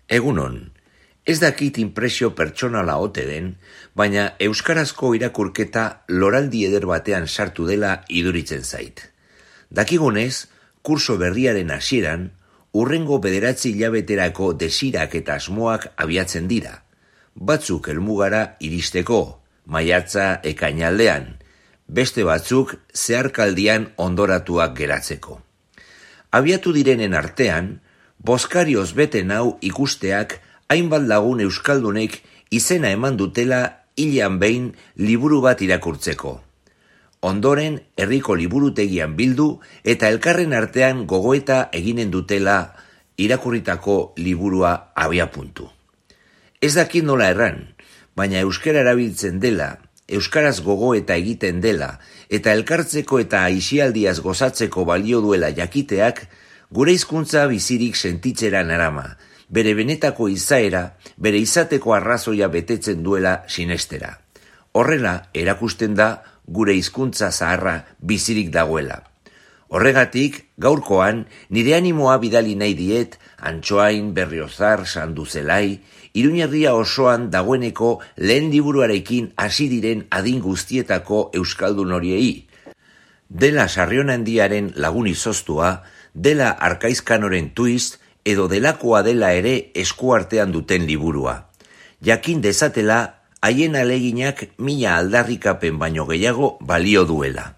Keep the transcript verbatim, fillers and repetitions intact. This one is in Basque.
Egunon, ez dakit inpresio pertsonala ote den, baina euskarazko irakurketa loraldi eder batean sartu dela iduritzen zait. Dakigunez, kurso berriaren hasieran, hurrengo bederatzi hilabeterako desirak eta asmoak abiatzen dira. Batzuk helmugara iristeko, maiatza ekainaldean, beste batzuk zeharkaldian ondoratuak geratzeko. Abiatu direnen artean, bozkarioz bete nau ikusteak hainbat lagun euskaldunek izena eman dutela hilean behin liburu bat irakurtzeko. Ondoren herriko liburutegian bildu eta elkarren artean gogoeta eginen dutela irakurritako liburua abiapuntu. Ez dakit nola erran, baina euskara erabiltzen dela, euskaraz gogoeta egiten dela eta elkartzeko eta aisialdiaz gozatzeko balio duela jakiteak gure hizkuntza bizirik sentitzera narama, bere benetako izaera, bere izateko arrazoia betetzen duela sinestera. Horrela erakusten da gure hizkuntza zaharra bizirik dagoela. Horregatik, gaurkoan, nire animoa bidali nahi diet, Antsoain, Berriozar, Sanduzelai, Iruñerria osoan dagoeneko lehen liburuarekin hasi diren adin guztietako euskaldun horiei. Dela Sarrionandiaren lagun izoztua, dela Arkaizkanoren twist, edo delakoa dela ere eskuartean duten liburua. Jakin dezatela, haien aleginak mila aldarrikapen baino gehiago balio duela.